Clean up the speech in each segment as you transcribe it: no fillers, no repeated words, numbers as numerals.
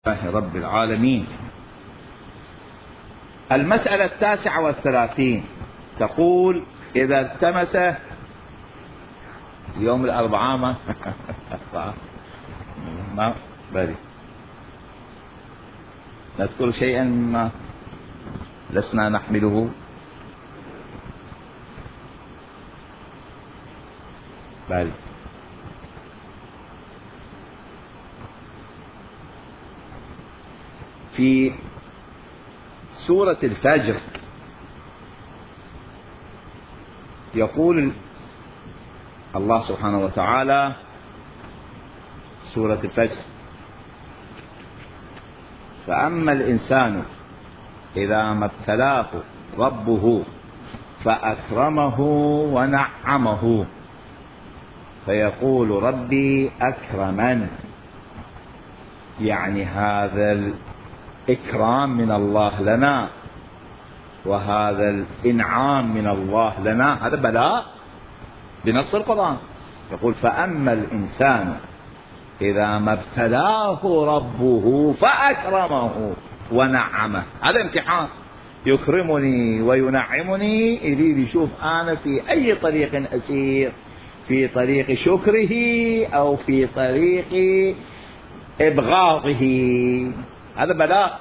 لله رب العالمين. المسألة 39 تقول: إذا التمس يوم الأربعاء ما بري نذكر شيئا مما لسنا نحمله. بري في سورة الفجر يقول الله سبحانه وتعالى: سورة الفجر: فأما الإنسان إذا ما ابتلاه ربه فأكرمه ونعمه فيقول ربي أكرمن. يعني هذا الإكرام من الله لنا، وهذا الإنعام من الله لنا، هذا بلاء بنص القرآن. يقول: فأما الإنسان إذا ما ابتلاه ربه فأكرمه ونعمه. هذا امتحان، يكرمني وينعمني، يريد يشوف أنا في أي طريق أسير، في طريق شكره أو في طريق إبغاضه. هذا بلاء.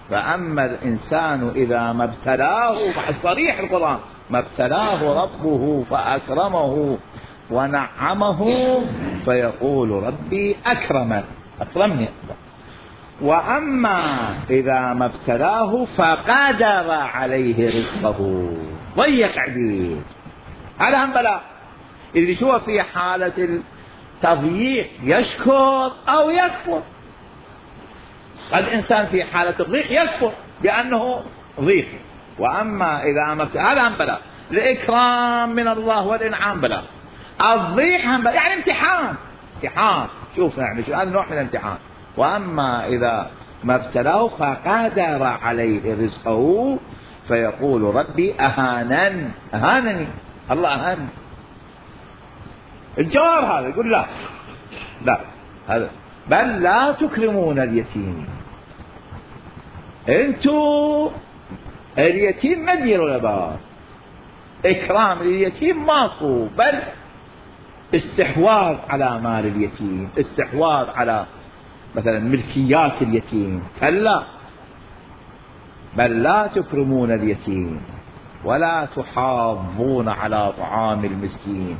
فأما الإنسان إذا ما ابتلاه، بعد صريح القرآن: ما ابتلاه ربه فأكرمه ونعمه فيقول ربي أكرمني. وأما إذا ما ابتلاه فقدر عليه رزقه ضيق عليه، هذا هم بلاء. اللي شو في حالة التضييق يشكر أو يكفر. قد إنسان في حالة الضيق يكفر بأنه ضيق. وأما إذا ما هذا هم بلاء. الإكرام من الله والإنعام بلاء، الضيق هم بلاء، يعني امتحان. شوف يعني هذا نوع من الامتحان. وأما إذا ما ابتلاه فقدر عليه رزقه فيقول ربي أهانني، الله أهانني. الجواب هذا يقول لا هذا بل لا تكرمون اليتيم. انتو اليتيم ما تديروا له، اكرام اليتيم ماكو، بل استحواذ على مال اليتيم، استحواذ على مثلا ملكيات اليتيم. كلا، بل لا تكرمون اليتيم ولا تحاضون على طعام المسكين.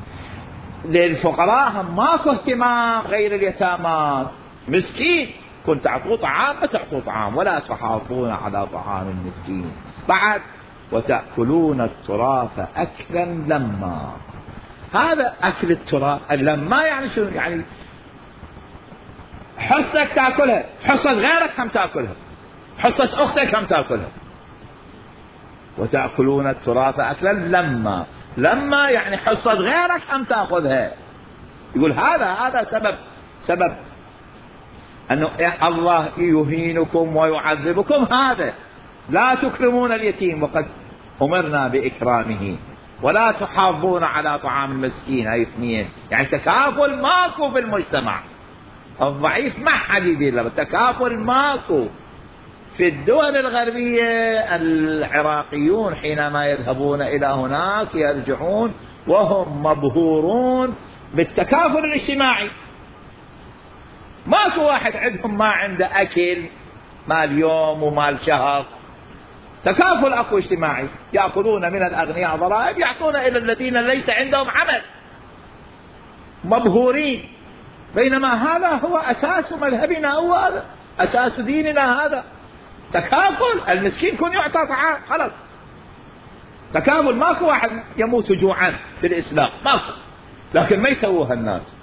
للفقراء هم ماكو اهتمام غير اليتامى. مسكين كنت تعطوه طعام ما تعطوه طعام، ولا تحاضون على طعام المسكين. بعد: وتأكلون التراث أكلا لما. هذا أكل التراث لما يعني شنو؟ يعني حصتك تأكلها، حصة غيرك هم تأكلها، حصة أختك هم تأكلها. وتأكلون التراث أكلا لما يعني حصة غيرك هم تأخذها. يقول هذا سبب أنه الله يهينكم ويعذبكم. هذا لا تكرمون اليتيم وقد أمرنا بإكرامه، ولا تحاضون على طعام المسكين. هاي اثنين، يعني تكافل ماكو في المجتمع. الضعيف ما حد يدير، تكافل ماكو. في الدول الغربية العراقيون حينما يذهبون إلى هناك يرجعون وهم مبهورون بالتكافل الاجتماعي. ماكو واحد عندهم ما عنده أكل مال يوم ومال شهر. تكافل أكو اجتماعي، يأكلون من الأغنياء ضرائب، يعطون إلى الذين ليس عندهم عمل، مبهورين. بينما هذا هو أساس مذهبنا، هو أساس ديننا. هذا تكافل، المسكين يكون يعطى طعام، خلاص تكافل. ماكو واحد يموت جوعا في الإسلام، ماكو. لكن ما يسووها الناس.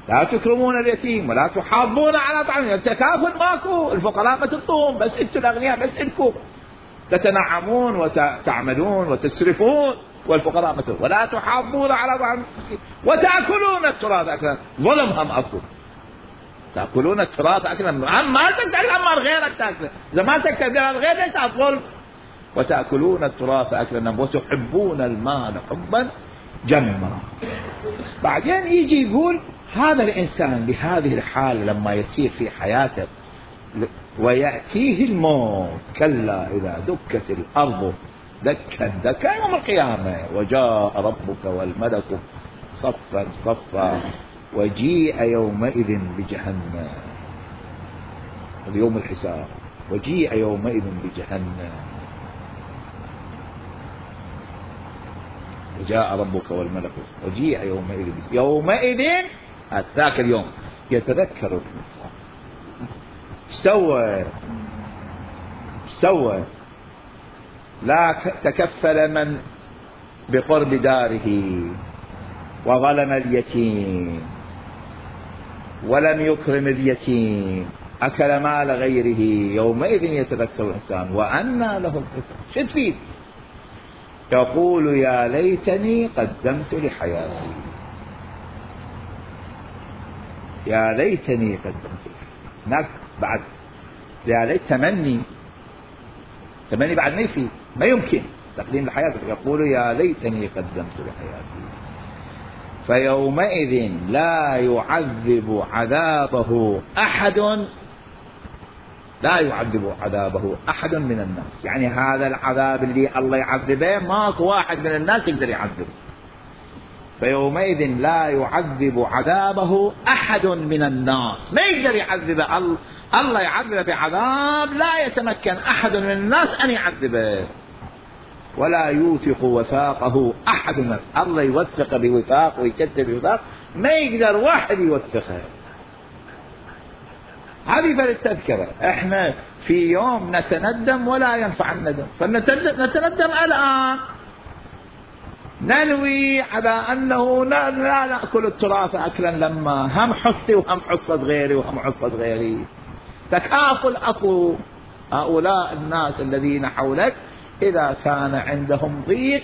لا تكرمون اليتيم ولا تحاضون على طعام. التكافل ماكو. الفقراء ما تنطون، بس انتم الأغنياء بس انكم تتنعمون وتعملون وتسرفون، والفقراء ما تنطون. ولا تحاضون على طعام المسكين وتأكلون التراث أكلا. ظلم هم أكو. تأكلون التراث أكلا، ما تقدر أمر غيرك تأكله. إذا ما تقدر الغير ليس الظلم. وتأكلون التراث أكلا وتحبون المال حبا جمّا. بعدين يجي يقول هذا الإنسان بهذه الحالة لما يسير في حياته ويأتيه الموت، كلا إذا دكت الأرض دكا دكا يوم القيامة وجاء ربك والملك صفا صفا وجيء يومئذ بجهنم، اليوم الحساب، وجيء يومئذ بجهنم وجاء ربك والملك وجيء يومئذ ذاك اليوم يتذكر الإنسان سوى لا تكفل من بقرب داره وظلم اليتيم ولم يكرم اليتيم أكل مال غيره، يومئذ يتذكر الإنسان وأنى له الذكرى. شو تفيد؟ يقول يا ليتني قدمت لحياتي، يا ليتني قدمت هناك بعد يا ليت تمني بعد ما يفيد، ما يمكن تقديم لحياتك. يقول يا ليتني قدمت لحياتي، فيومئذ لا يعذب عذابه أحد من الناس. يعني هذا العذاب اللي الله يعذبه ماكو واحد من الناس يقدر يعذبه. فيومئذ لا يعذب عذابه أحد من الناس، ما يقدر يعذبه الله يعذبه بعذاب لا يتمكن أحد من الناس أن يعذبه، ولا يوثق وثاقه أحد من الله يوثق بوثاق ويكتب بوثاق، ما يقدر واحد يوثقه. هذه فللتذكرة. احنا في يوم نتندم ولا ينفع الندم، فنتندم الآن، ننوي على أنه لا نأكل التراث أكلا لما هم حصي وهم حصة غيري وهم حصة غيري. تكافل أخو هؤلاء الناس الذين حولك، إذا كان عندهم ضيق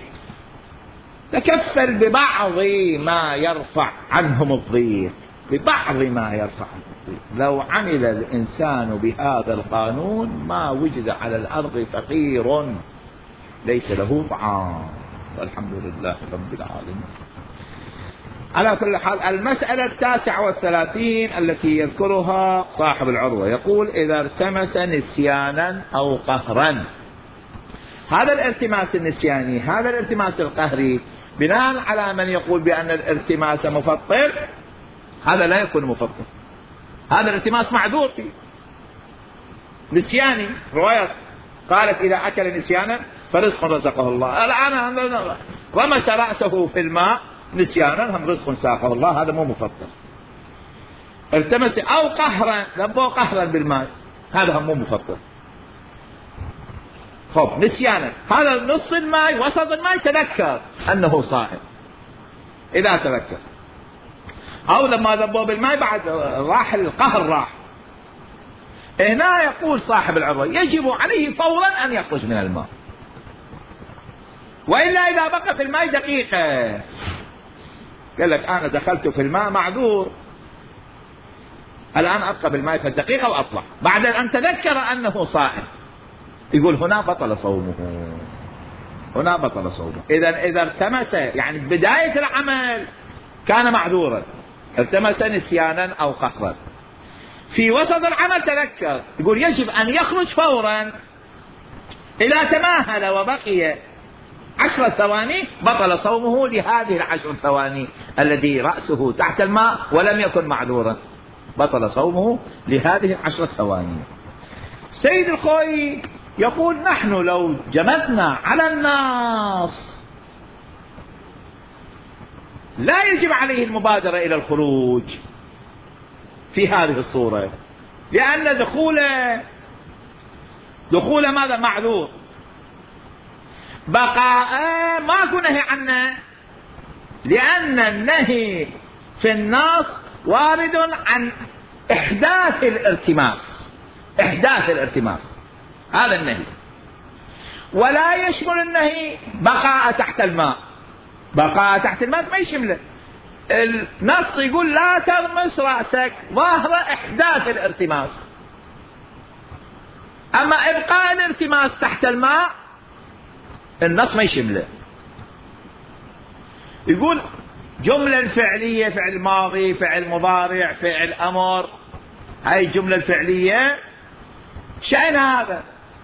تكفل ببعض ما يرفع عنهم الضيق، ببعض ما يرفع الضيق. لو عمل الإنسان بهذا القانون ما وجد على الأرض فقير ليس له طعام، والحمد لله رب العالمين. على كل حال، المسألة 39 التي يذكرها صاحب العروة يقول إذا التمس نسيانا أو قهرا. هذا الالتماس النسياني، هذا الالتماس القهري، بناء على من يقول بأن الالتماس مفطر، هذا لا يكون مفطر، هذا الالتماس معذور فيه. نسياني، رواية قالت إذا أكل نسيانا فرزق رزقه الله، الآن رمس رأسه في الماء نسيانا، هم رزق ساقه الله، هذا مو مفطر. التمس أو قهرا، ذبوه قهرا بالماء، هذا هم مو مفطر. خب نسيانا، هذا نص الماء وسط الماء تذكر أنه صائم، إذا تذكر، أو لما ذبوه بالماء بعد راح القهر راح. هنا يقول صاحب العروة يجب عليه فورا أن يخرج من الماء، وإلا إذا بقى في الماء دقيقة، قال لك أنا دخلت في الماء معذور، الآن أبقى بالماء في الدقيقة وأطلع، بعد أن تذكر أنه صائم، يقول هنا بطل صومه، هنا بطل صومه. إذا التمس، يعني بداية العمل كان معذورا، التمس نسيانا أو قهرا، في وسط العمل تذكر، يقول يجب أن يخرج فورا. إذا تماهل وبقي 10 ثواني بطل صومه لهذه 10 ثواني الذي رأسه تحت الماء ولم يكن معذورا، بطل صومه لهذه 10 ثواني. سيد الخوي يقول نحن لو جمدنا على الناس لا يجب عليه المبادرة إلى الخروج في هذه الصورة، لأن دخول ماذا معذور، بقاء ماكو نهي عنه، لأن النهي في النص وارد عن إحداث الالتماس، إحداث الالتماس هذا النهي، ولا يشمل النهي بقاء تحت الماء، بقاء تحت الماء ما يشمله. النص يقول لا تغمس رأسك، ظاهر إحداث الالتماس، أما إبقاء الالتماس تحت الماء النص ما يشمله. يقول جملة الفعلية فعل ماضي فعل مضارع فعل أمر، هاي الجملة الفعلية شأن هذا؟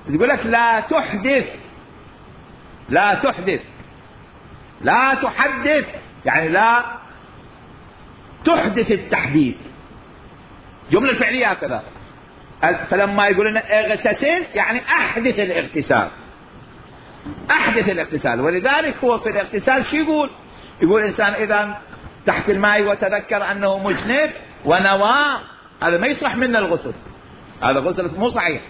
يقول لك لا تحدث، لا تحدث، لا تحدث، يعني لا تحدث التحديث. جملة الفعلية هكذا. فلما يقول لنا اغتسل يعني احدث الاغتسال، احدث الاغتسال. ولذلك هو في الاغتسال شو يقول؟ يقول الانسان اذا تحت الماء وتذكر انه مجنب ونوى، هذا ما يصح منا الغسل، هذا غسل مو صحيح.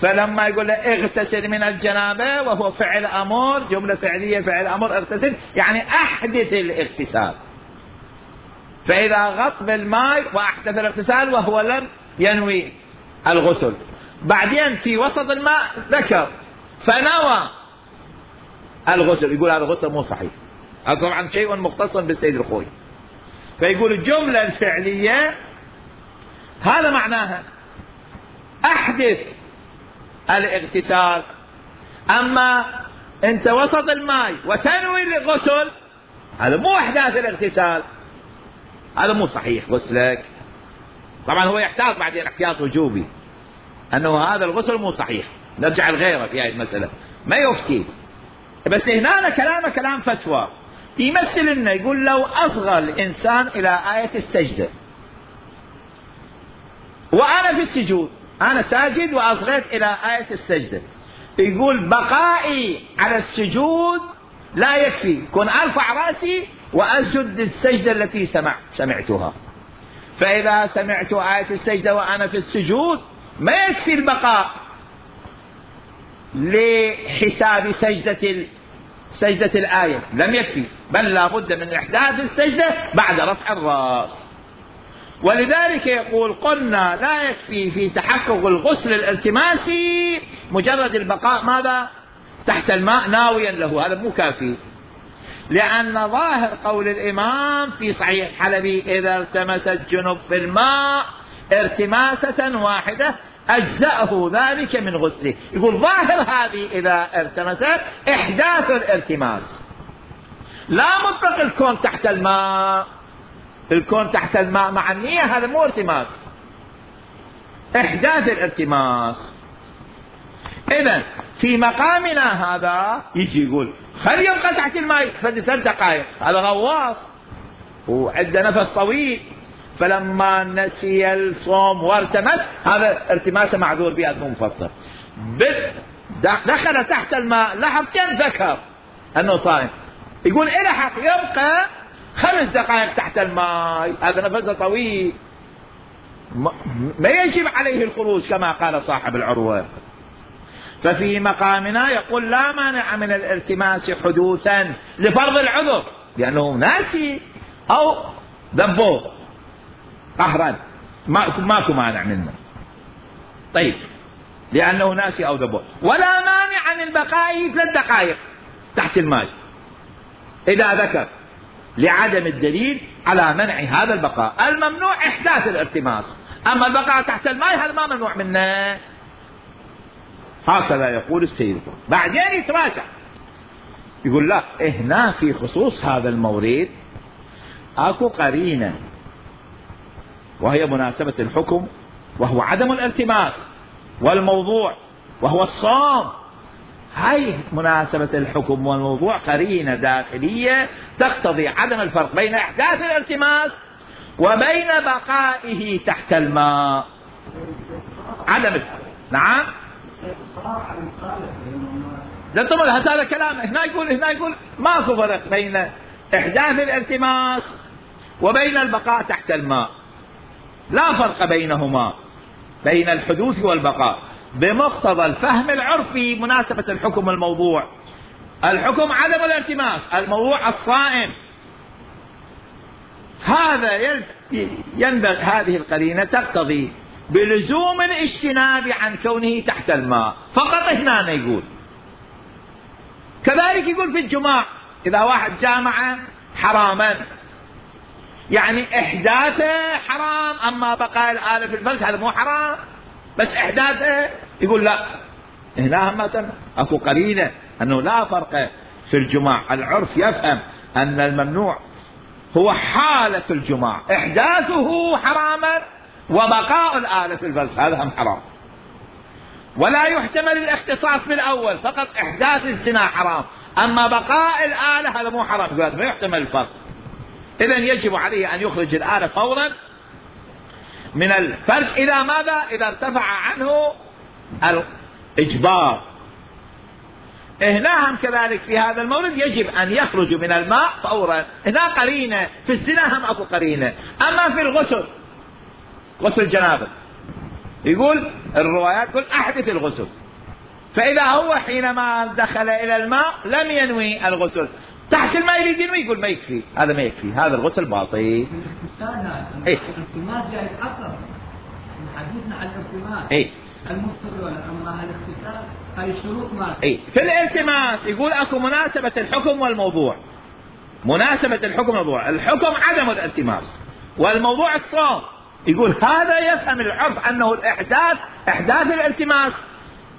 فلما يقول له اغتسل من الجنابة وهو فعل امر، جملة فعلية فعل امر، اغتسل يعني احدث الاغتسال. فاذا غط بالماء واحدث الاغتسال وهو لم ينوي الغسل، بعدين في وسط الماء ذكر فنوى الغسل، يقول هذا الغسل مو صحيح. هذا طبعا شيء مختص بالسيد الخوي. فيقول الجملة الفعلية هذا معناها احدث الاغتسال. اما انت وسط الماء وتنوي الغسل، هذا مو احداث الاغتسال، هذا مو صحيح غسلك. طبعا هو يحتاط بعدين احتياط وجوبي انه هذا الغسل مو صحيح، نرجع لغيره في هذه المسألة ما يفتي. بس هنا كلامه كلام فتوى، يمثل لنا يقول لو اصغى الانسان الى آية السجدة وانا في السجود، انا ساجد واصغيت الى آية السجدة، يقول بقائي على السجود لا يكفي، كن ارفع رأسي واسجد للسجدة التي سمعتها. فاذا سمعت آية السجدة وانا في السجود ما يكفي البقاء لحساب سجدة الآية، لم يكفي، بل لا بد من إحداث السجدة بعد رفع الرأس. ولذلك يقول قلنا لا يكفي في تحقق الغسل الالتماسي مجرد البقاء ماذا؟ تحت الماء ناويا له، هذا مو كافي، لأن ظاهر قول الإمام في صحيح الحلبي إذا التمس الجنب في الماء ارتماسة واحدة أجزأه ذلك من غسله. يقول ظاهر هذه إذا ارتمست إحداث الارتماس، لا مطلق الكون تحت الماء. الكون تحت الماء مع النية هذا مو ارتماس، إحداث الارتماس. إذن في مقامنا هذا يجي يقول خلي يبقى تحت الماء فلسان دقائق، هذا غواص وعنده نفس طويل، فلما نسي الصوم وارتمس هذا ارتماسه معذور به مو مفطر. دخل تحت الماء لحظتين ذكر انه صائم، يقول الحق يبقى 5 دقائق تحت الماء، هذا نفسه طويل ما يجب عليه الخروج كما قال صاحب العروة. ففي مقامنا يقول لا مانع من الالتماس حدوثا لفرض العذر، لأنه ناسي أو ذبوه قهرا ماكو مانع منه. طيب لأنه ناسي أو ذبوه، ولا مانع من بقائه 3 دقائق تحت الماء إذا ذكر، لعدم الدليل على منع هذا البقاء. الممنوع إحداث الالتماس، أما البقاء تحت الماء هذا ما ممنوع منه. هكذا يقول السيد. بعدين يتراجع يقول لا هنا في خصوص هذا المورد اكو قرينة وهي مناسبة الحكم وهو عدم الالتماس، والموضوع وهو الصوم. هاي مناسبة الحكم والموضوع قرينة داخلية تقتضي عدم الفرق بين احداث الالتماس وبين بقائه تحت الماء. عدم الفرق. نعم لا طبعا هذا كلام. هنا يقول ماكو فرق بين احداث الالتماس وبين البقاء تحت الماء، لا فرق بينهما، بين الحدوث والبقاء بمقتضى الفهم العرفي. مناسبة الحكم والموضوع، الحكم عدم الالتماس، الموضوع الصائم. هذا ينبغي هذه القرينة تقتضي بلزوم الاجتناب عن كونه تحت الماء فقط. هنا يقول كذلك يقول في الجماع إذا واحد جامع حراما يعني إحداثه حرام، أما بقاء الآلة في الفرج هذا مو حرام، بس إحداثه يقول لا. هنا هم أكو قرينة أنه لا فرق في الجماع. العرف يفهم أن الممنوع هو حالة الجماع، إحداثه حراما وبقاء الآلة في الفرج هذا هم حرام. ولا يحتمل الاختصاص بالأول، فقط إحداث الزنا حرام، أما بقاء الآلة هذا مو حرام، ما يحتمل الفرق. إذن يجب عليه أن يخرج الآلة فورا من الفرج إذا ماذا؟ إذا ارتفع عنه الإجبار. هنا هم كذلك في هذا المورد يجب أن يخرج من الماء فورا. هنا قرينة، في الزنا هم أكو قرينة. أما في الغسل، غسل الجنابة، يقول الروايات يقول أحدث الغسل، فإذا هو حينما دخل إلى الماء لم ينوي الغسل، تحت الماء يريد ينوي، يقول ما يكفي، هذا ما يكفي، هذا الغسل باطل. الالتماس جاي يتحقق، حديثنا عن الالتماس المفطر والأمر الاغتسال، هاي الشروط ما في الالتماس يقول أكو مناسبة الحكم والموضوع. مناسبة الحكم والموضوع، الحكم عدم الالتماس، والموضوع الصوم. يقول هذا يفهم العرف أنه الإحداث، إحداث الالتماس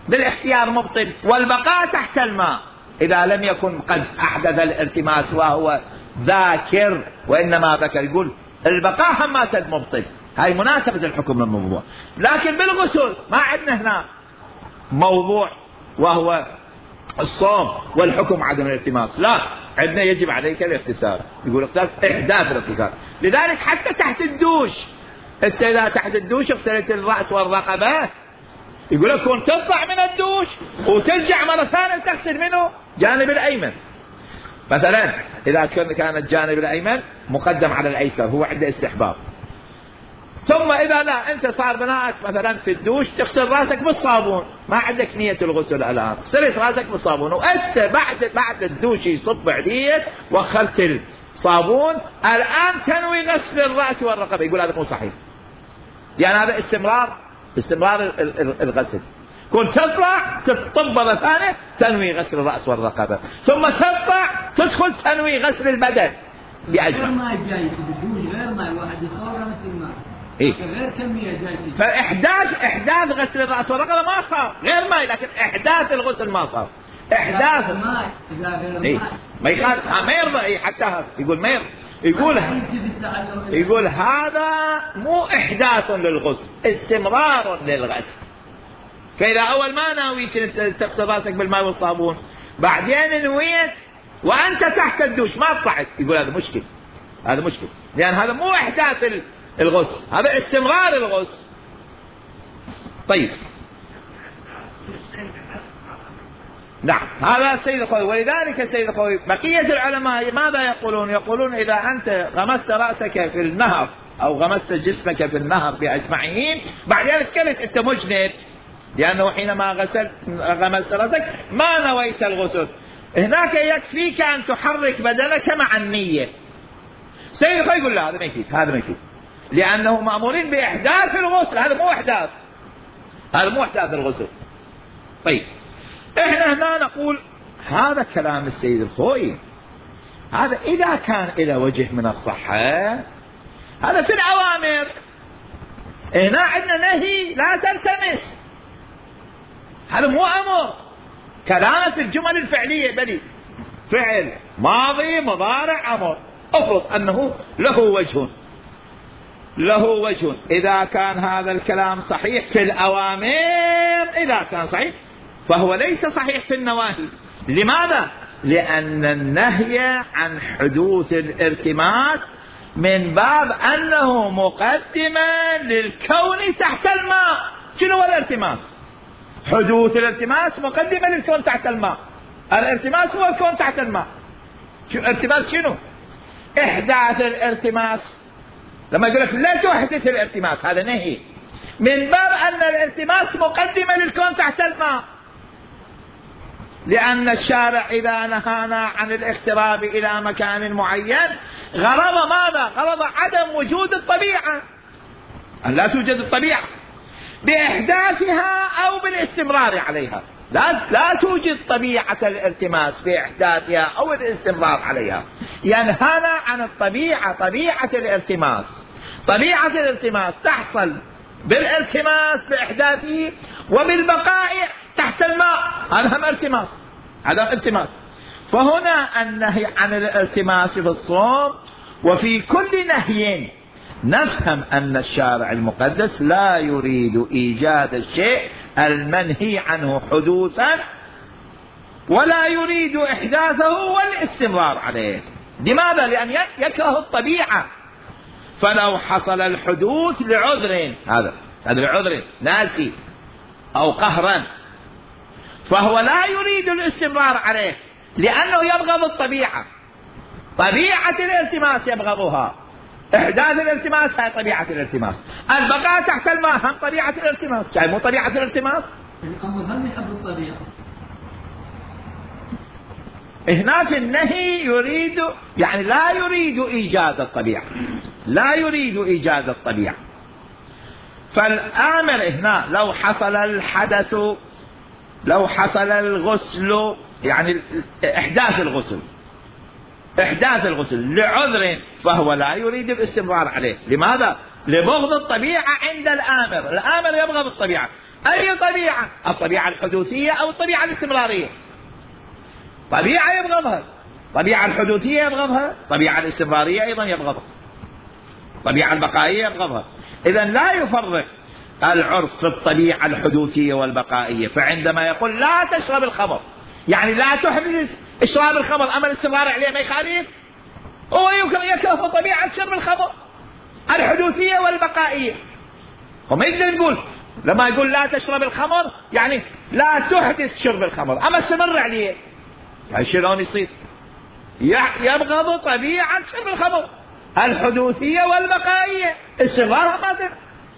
بالاختيار مبطل، والبقاء تحت الماء إذا لم يكن قد أحدث الالتماس وهو ذاكر وإنما ذكر، يقول البقاء هم مبطل. هاي مناسبة الحكم والموضوع. لكن بالغسل ما عندنا هنا موضوع وهو الصوم والحكم عدم الالتماس، لا، عندنا يجب عليك الاغتسال. يقول اغتسال إحداث الاغتسال. لذلك حتى تحت الدوش، انت اذا تحت الدوش اغسلت الرأس والرقبة، يقول لك كون تطلع من الدوش وترجع مرة ثانية تغسل منه جانب الأيمن مثلا، إذا كان الجانب الأيمن مقدم على الأيسر هو عنده استحباب. ثم إذا لا أنت صار بناءك مثلا في الدوش تغسل رأسك بالصابون، ما عندك نية الغسل الآن، غسلت رأسك بالصابون وأنت بعد الدوش يصب عليك وأخذت الصابون، الآن تنوي غسل الرأس والرقبة، يقول هذا مو صحيح. يعني هذا استمرار الغسل. كنت تطلع تطب مرة ثانية تنوي غسل الرأس والرقبة، ثم تطلع تدخل تنوي غسل البدن بأجمع. غير ما جاي بدون غير ما الواحد يصور مثل ما غير كمية جاي. فإحداث غسل الرأس والرقبة ما صار غير ماء، لكن إحداث الغسل ما صار. إحداث ماء إذا غير ماء ما يخالف، ما يرضى حتى هذا يقول ما يرضى. يقول هذا مو إحداث للغسل، استمرار للغسل. فإذا أول ما ناوي تغسل رأسك بالماء والصابون، بعدين نويت وأنت تحت الدوش ما طلعت، يقول هذا مشكل، هذا مشكل، لأن هذا مو إحداث الغسل، هذا استمرار الغسل. طيب نعم، هذا سيد الخوي. ولذلك سيد الخوي بقية العلماء ماذا يقولون؟ يقولون إذا أنت غمست رأسك في النهر أو غمست جسمك في النهر بأجمعين، بعدين تكلت أنت مجنب، لأنه حينما غمست رأسك ما نويت الغسل، هناك يكفيك أن تحرك بدنك مع النية. سيد الخوي يقول لا، هذا ما يفيد، هذا ما يفيد، لأنه مأمورين بإحداث الغسل، هذا مو إحداث، هذا مو إحداث الغسل. طيب احنا هنا نقول هذا كلام السيد الخوي، هذا إذا كان إلى وجه من الصحة، هذا في الأوامر. هنا عندنا نهي لا تلتمس، هذا مو أمر، كلام في الجمل الفعلية، بل فعل ماضي مضارع أمر، أفرض أنه له وجه. إذا كان هذا الكلام صحيح في الأوامر، إذا كان صحيح فهو ليس صحيح في النواهي. لماذا؟ لأن النهي عن حدوث الارتماس من باب أنه مقدمة للكون تحت الماء. شنو هو الارتماس؟ حدوث الارتماس مقدمة للكون تحت الماء. الارتماس هو الكون تحت الماء. الارتماس شنو؟ إحداث الارتماس. لما يقول لك لا تحدث الارتماس، هذا نهي من باب أن الارتماس مقدمة للكون تحت الماء، لأن الشارع إذا نهانا عن الاقتراب إلى مكان معين غرض ماذا؟ غرض عدم وجود الطبيعة، أن لا توجد الطبيعة بإحداثها أو بالاستمرار عليها. لا توجد طبيعة الالتماس بإحداثها أو الاستمرار عليها. ينهانا عن الطبيعة، طبيعة الالتماس. طبيعة الالتماس تحصل بالالتماس بإحداثه وبالبقاء تحت الماء، هذا هم التماس، هذا التماس. فهنا النهي عن الالتماس في الصوم، وفي كل نهي نفهم أن الشارع المقدس لا يريد إيجاد الشيء المنهي عنه حدوثا، ولا يريد إحداثه والاستمرار عليه. لماذا؟ لأن يكره الطبيعة. فلو حصل الحدوث لعذر، هذا لعذر ناسي أو قهرا، فهو لا يريد الاستمرار عليه لأنه يبغض الطبيعة. طبيعة الالتماس يبغضها، إحداث الالتماس هي طبيعة الالتماس، البقاء تحت الماء هم طبيعة الالتماس، شايف مو طبيعة الالتماس؟ هم يحب الطبيعة. هنا في النهي يريد، يعني لا يريد إيجاد الطبيعة، لا يريد إيجاد الطبيعة. فالآمر هنا لو حصل الحدث، لو حصل الغسل، يعني إحداث الغسل لعذر، فهو لا يريد الاستمرار عليه. لماذا؟ لبغض الطبيعة عند الآمر. الآمر يبغض الطبيعة. أي طبيعة؟ الطبيعة الحدوثية أو الطبيعة الاستمرارية؟ طبيعة يبغضها، طبيعة الحدوثية يبغضها، طبيعة الاستمرارية أيضا يبغضها، طبيعة البقائية يبغضها. إذن لا يفرق العرف في الطبيعة الحدوثية والبقائية. فعندما يقول لا تشرب الخمر، يعني لا تحدث اشراب الخمر، أما الاستمرار عليه ما يخالف. هو يكره طبيعة شرب الخمر الحدوثية والبقائية. هم يقدر يقول لما يقول لا تشرب الخمر يعني لا تحدث شرب الخمر، أما استمر عليه، يعني شلون يصير؟ يبغض طبيعة شرب الخمر الحدوثية والبقائية، استمرارها ما،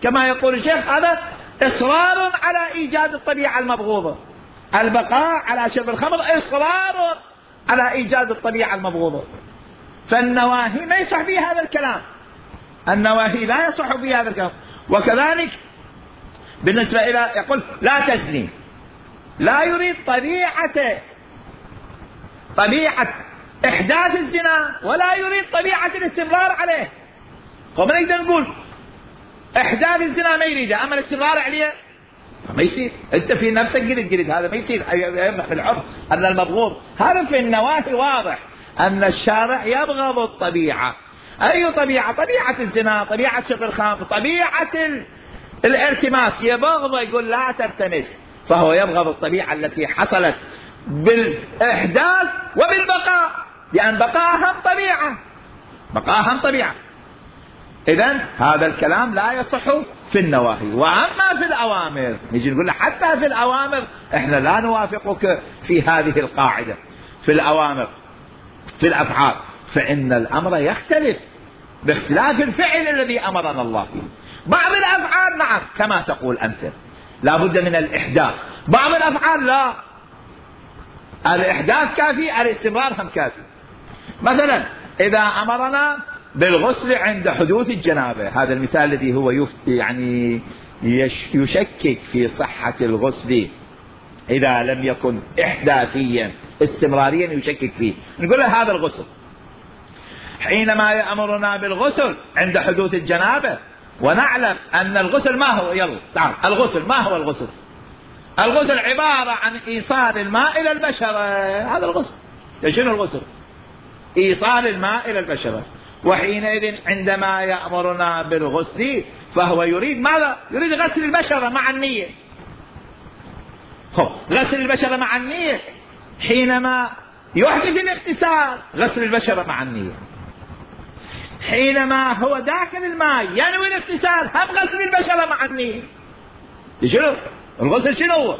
كما يقول الشيخ هذا إصرار على إيجاد الطبيعة المبغوضة. البقاء على شرب الخمر إصرار على إيجاد الطبيعة المبغوضة. فالنواهي ما يصح فيها هذا الكلام، النواهي لا يصح فيها هذا الكلام. وكذلك بالنسبة إلى يقول لا تزني، لا يريد طبيعة إحداث الزنا، ولا يريد طبيعة الاستمرار عليه. وما نقدر نقول إحداث الزنا ما يريده، أما الاستمرار عليه ما يصير. أنت في نفسك قلت هذا ما يصير، يبقى في العرف أن المبغوض. هذا في النواهي واضح أن الشارع يبغض الطبيعة. أي طبيعة؟ طبيعة الزنا، طبيعة شرب الخمر، طبيعة الالتماس يبغض، يقول لا تلتمس. فهو يبغض الطبيعة التي حصلت بالإحداث وبالبقاء، لأن بقاءهم طبيعة. إذن هذا الكلام لا يصح في النواهي. وأما في الأوامر نجي نقول حتى في الأوامر إحنا لا نوافقك في هذه القاعدة. في الأوامر في الأفعال فإن الأمر يختلف باختلاف الفعل الذي أمرنا الله فيه. بعض الأفعال نعم كما تقول أنت لا بد من الإحداث، بعض الأفعال لا، الإحداث كافي، الاستمرار هم كافي. مثلا إذا أمرنا بالغسل عند حدوث الجنابة، هذا المثال الذي هو يعني يشكك في صحة الغسل إذا لم يكن إحداثيا استمراريا يشكك فيه، نقول له هذا الغسل. حينما يأمرنا بالغسل عند حدوث الجنابة ونعلم أن الغسل ما هو، يلا تعال، الغسل ما هو الغسل؟ الغسل عبارة عن إيصال الماء إلى البشرة، هذا الغسل. شنو الغسل؟ إيصال الماء إلى البشرة. وحينئذ عندما يأمرنا بالغسل فهو يريد ماذا؟ يريد غسل البشرة مع النية. غسل البشرة مع النية. حينما يحدث الاغتسال غسل البشرة مع النية. حينما هو داخل الماء ينوي الاغتسال هم غسل البشرة مع النية. شنو الغسل؟ شنو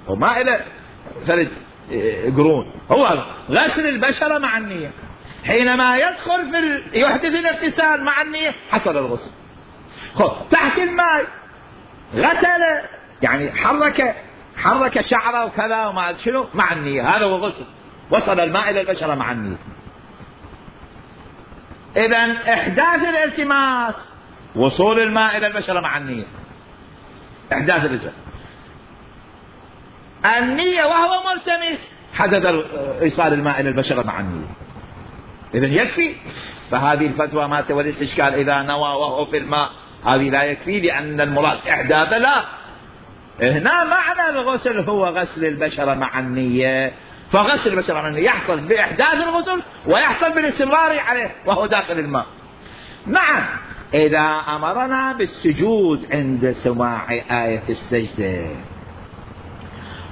هو ما إلى ثلاث قرون، هو غسل البشرة مع النية. حينما يدخل يحدث الاغتسال مع النية حصل الغسل. تحت الماء غسل، يعني حرك شعره وكذا وما شنو مع النية، هذا هو غسل، وصل الماء إلى البشرة مع النية. إذن إحداث الالتماس وصول الماء إلى البشرة مع النية، إحداث الالتماس النية وهو ملتمس حدث إيصال الماء إلى البشرة مع النية. إذن يكفي. فهذه الفتوى ما تولي الإشكال إذا نوى وهو في الماء، هذه لا يكفي لأن المراد إحداث. لا، هنا معنى الغسل هو غسل البشرة مع النية، فغسل البشرة منه يحصل بإحداث الغسل ويحصل بالاستمرار عليه وهو داخل الماء. نعم إذا أمرنا بالسجود عند سماع آية السجدة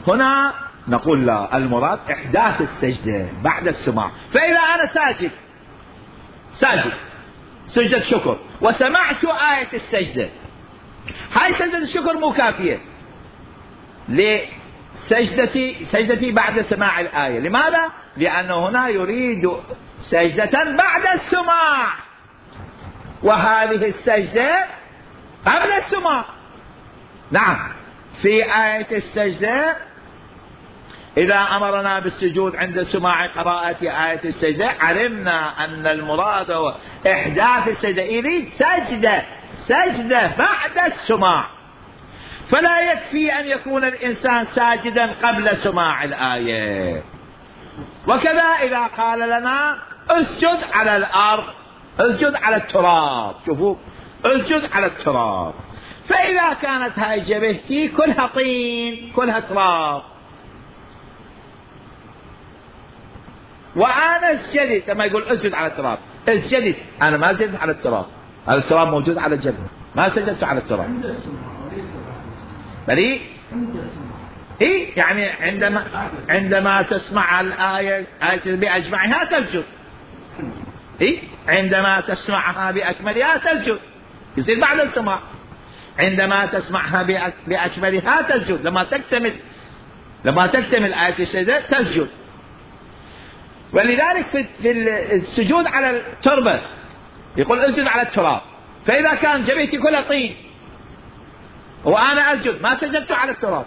هنا نقول لا، المراد إحداث السجدة بعد السماع. فإذا أنا ساجد سجدة شكر وسمعت آية السجدة، هاي سجدة الشكر مو كافية لسجدتي بعد سماع الآية. لماذا؟ لأنه هنا يريد سجدة بعد السماع، وهذه السجدة قبل السماع. نعم في آية السجدة إذا أمرنا بالسجود عند سماع قراءة آية السجدة علمنا أن المراد هو إحداث السجدة، يريد سجدة بعد السماع. فلا يكفي أن يكون الإنسان ساجدا قبل سماع الآية. وكذا إذا قال لنا اسجد على الأرض، اسجد على التراب، شوفوا اسجد على التراب، فإذا كانت هاي جبهتي كلها طين كلها تراب وأنا اسجدت، لما يقول اسجد على التراب اسجدت، أنا ما سجدت على التراب، هذا التراب موجود على الجبهة، ما سجدت على التراب. بلي إيه يعني عندما تسمع الآية بأجمعها تسجد، إيه عندما تسمعها بأكملها تسجد، يصير بعد السماع. عندما تسمعها بأكملها تسجد، لما تكتمل آية السجدة تسجد. ولذلك في السجود على التربة يقول اسجد على التراب، فإذا كان جبهتي كلها طين وأنا أسجد ما سجدت على التراب،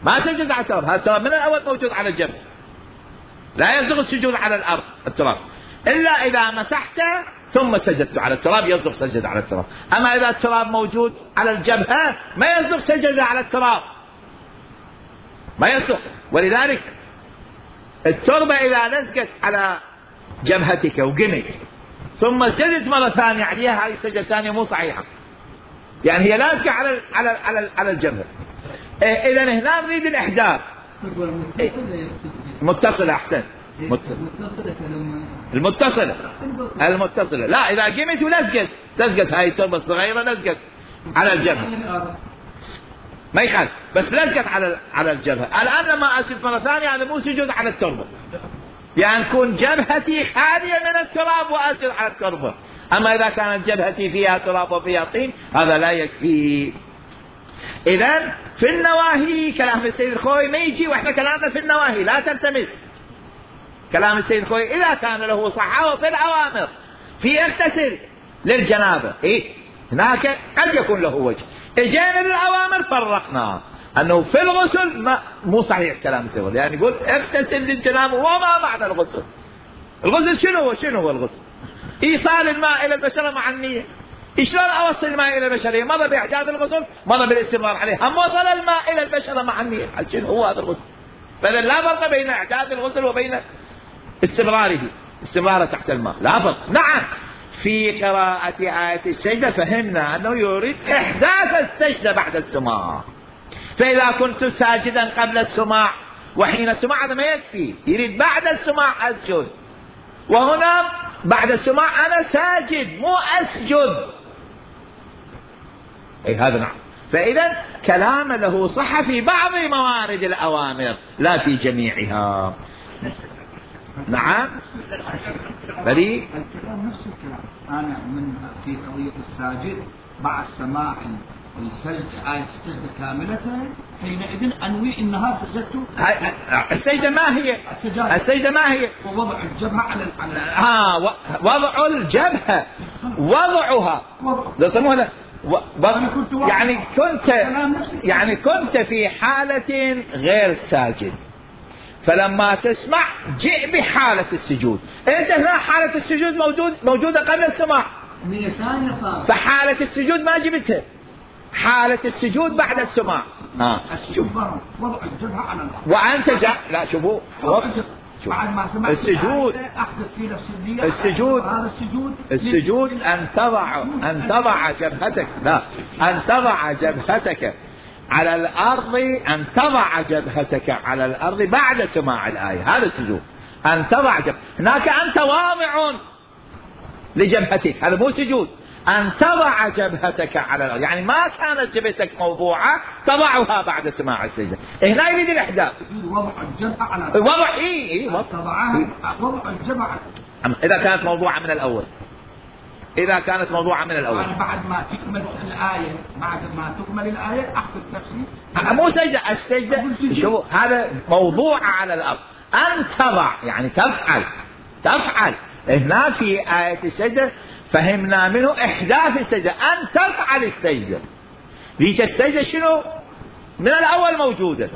ما سجدت على التراب، هذا التراب من الأول موجود على الجبهة، لا يصدق السجود على الأرض التراب إلا إذا مسحته ثم سجدت على التراب يصدق سجد على التراب. أما إذا التراب موجود على الجبهة ما يصدق سجد على التراب، ما يصدق. ولذلك التربة إذا لزقت على جبهتك وقمت ثم سجدت مرة ثانية عليها، هذه السجدة الثانية مو صحيحة، يعني هي لازقة على الجبهة. إذا هنا نريد الإحداث متصلة. أحسن المتصلة لا، إذا قمت ولزقت هاي التربة الصغيرة لزقت على الجبهة ما يخالف، بس لزقت على الجبهة. الآن لما أسجد مرة ثانية هذا مو سجود على التربة، يعني تكون جبهتي خالية من التراب وأسجد على التربة. أما إذا كانت جبهتي فيها تراب وفيها طين هذا لا يكفي. إذن في النواهي كلام السيد الخوي ما يجي، وإحنا كلامنا في النواهي لا تلتمس كلام السيد الخوي. إذا كان له صحة وفي الأوامر في اغتسل للجنابة، هناك قد يكون له وجه. اجينا للأوامر فرقنا أنه في الغسل مو صحيح كلام السيد، يعني يقول اغتسل للجنابة. وما معنى الغسل؟ الغسل شنو هو الغسل؟ إيصال الماء إلى البشرة مع النية. شلون أوصل الماء إلى البشرة؟ مضى بإحداث الغسل، مضى بالاستمرار عليه، هم وصل الماء إلى البشرة مع النية. شنو هو هذا الغسل؟ فإذا لا فرق بين إحداث الغسل وبين استمراره تحت الماء، لا فرق. نعم في قراءة آية السجدة فهمنا أنه يريد إحداث السجدة بعد السماع. فإذا كنت ساجدا قبل السماع وحين السماع هذا ما يكفي، يريد بعد السماع أسجد، وهنا بعد السماع أنا ساجد مو أسجد. هذا نعم. فإذا كلام له صحة في بعض موارد الأوامر لا في جميعها. نعم بلي الكلام نفس الكلام. أنا من في قضية الساجد بعد سماع آية السجدة كاملة حينئذ أنوي أنها سجدت. السجدة ما هي؟ السجدة ما هي؟ ووضع الجبهة على وضع الجبهة وضعها يعني كنت في حالة غير ساجد، فلما تسمع جئ بحالة السجود. انت هنا حالة السجود موجودة قبل السماع، فحالة السجود ما جبتها، حالة السجود بعد السماع. شوف وضع الجبهة على الأرض وأنت لا شوفوا بعد ما سمعت السجود أحدث في نفس النية. السجود أن تضع جبهتك، لا أن تضع جبهتك على الأرض أن تضع جبهتك على الأرض بعد سماع الآية، هذا السجود. أن تضع هناك أنت واضع لجبهتك، هذا مو سجود. أن تضع جبهتك على الأرض يعني ما كانت جبهتك موضوعة تضعها بعد سماع السجدة. هنا يريد الإحداث وضع الجبهة على وضع تضعها وضع الجبهة إذا كانت موضوعة من الأول، إذا كانت موضوعة من الأول بعد ما تكمل الآية، بعد ما تكمل الآية أحد التفسير مو سجدة. السجدة شو هذا موضوعة على الأرض. أن تضع يعني تفعل. هنا في آية السجدة فهمنا منه إحداث السجدة، أن تفعل السجدة. ليش السجدة شنو من الأول موجودة،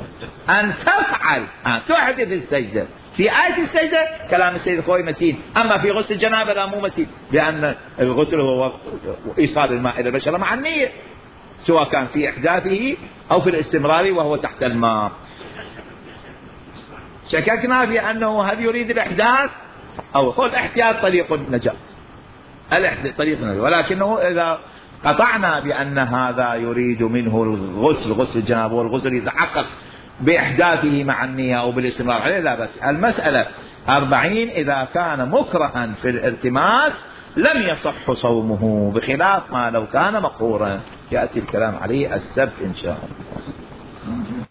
أن تفعل أن تحدث السجدة. في آية السجدة كلام السيد الخوي متين، أما في غسل الجنابة لا مو متين، لأن الغسل هو إيصال الماء إلى البشرة مع النية، سواء كان في إحداثه أو في الاستمرار وهو تحت الماء. شككنا في أنه هل يريد الإحداث أو هو الاحتياط طريق النجاة، طريق النجاة، ولكنه إذا قطعنا بأن هذا يريد منه الغسل، غسل الجنابة والغسل يتحقق بإحداثه مع النية أو بالاستمرار عليه لا بس. المسألة 40 إذا كان مكرها في الالتماس لم يصح صومه، بخلاف ما لو كان مقهورا، يأتي الكلام عليه السبت إن شاء الله.